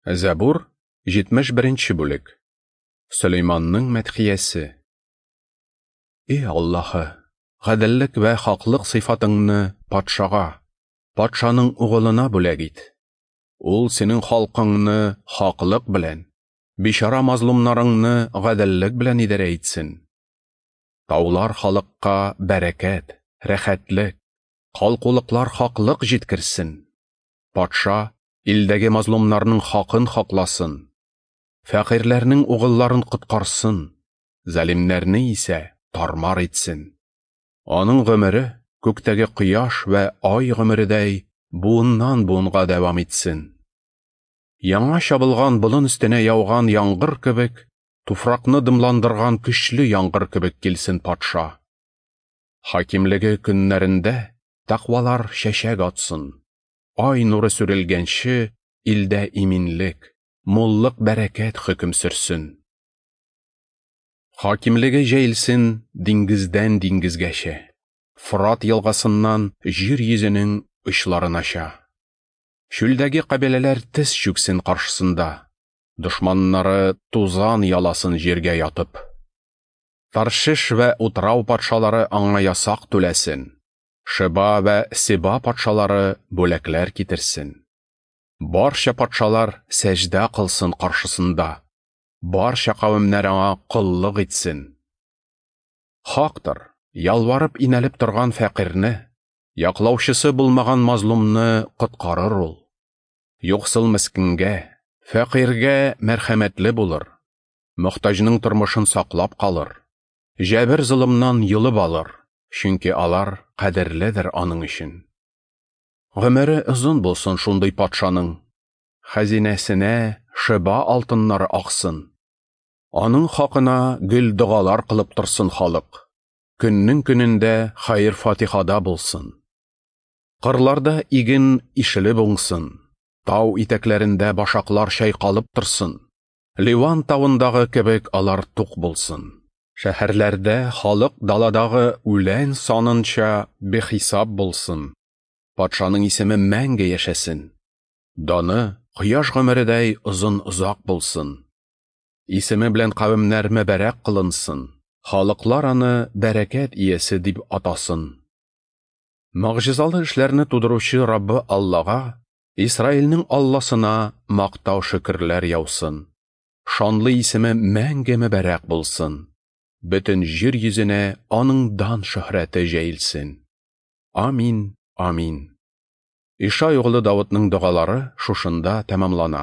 Зәбур, 71 нче бүлек. Сөләйманның мәдхиясе. И Аллаһы, гаделлек вә хаклык сыйфатыңны патшага, патшаның угылына бүләк ит. Ул синең халкыңны хаклык белән, бичара мазлумнарыңны гаделлек белән идарә итсен. Таулар халыкка бәрәкәт, рәхәтлек, калкулыклар хаклык җиткерсен. Патша илдәге мазлумнарның хакын хакласын, фәкыйрьләрнең угылларын коткарсын, залимнәрне исә тармар итсен. Аның гомере күктәге кояш вә ай гомередәй буыннан буынга дәвам итсен. Яңа чабылган болын өстенә яуган яңгыр кебек, туфракны дымландырган көчле яңгыр кебек килсен патша. Хакимлеге көннәрендә тәкъвалар чәчәк атсын. Ай нуры сүрелгәнче, илдә иминлек, муллык бәрәкәт хөкем сөрсен. Хакимлеге җәелсен диңгездән диңгезгәчә, Фрат елгасыннан җир йөзенең очларынача. Чүлдәге кабиләләр тез чүксен каршысында, дошманнары тузан яласын җиргә ятып. Таршиш вә утрау патшалары аңа ясак түләсен. Шеба вә Себа патшалары бүләкләр китерсен. Барча патшалар сәҗдә кылсын каршысында. Барча кавемнәр аңа коллык итсен. Хактыр, ялварып инәлеп торган фәкыйрьне, яклаучысы булмаган мазлумны коткарыр ул. Юксыл мескенгә, фәкыйрьгә мәрхәмәтле булыр. Мохтаҗның тормышын саклап калыр. Җәбер-золымнан йолып алыр, чөнки алар кадерледер аның өчен. Гомере озын булсын шундый патшаның. Хәзинәсенә Шеба алтыннары аксын. Аның хакына гел догалар кылып торсын халык. Көннең көнендә хәер-фатихада булсын. Кырларда иген ишелеп уңсын. Тау итәкләрендә башаклар чайкалып торсын. Ливан тавындагы кебек алар тук булсын. Шәһәрләрдә халык даладагы үлән санынча бихисап булсын. Патшаның исеме мәңге яшәсен. Даны кояш гомередәй озын-озак булсын. Исеме белән кавемнәр мөбарәк кылынсын. Халыклар аны бәрәкәт иясе дип атасын. Могҗизалы эшләрне тудыручы Раббы Аллага, Исраилнең Алласына мактау-шөкерләр яусын. Шанлы исеме мәңге мөбарәк булсын. Бөтен җир йөзенә аның дан-шөһрәте җәелсен. Амин, амин. Ишай углы Давытның догалары шушында тәмамлана.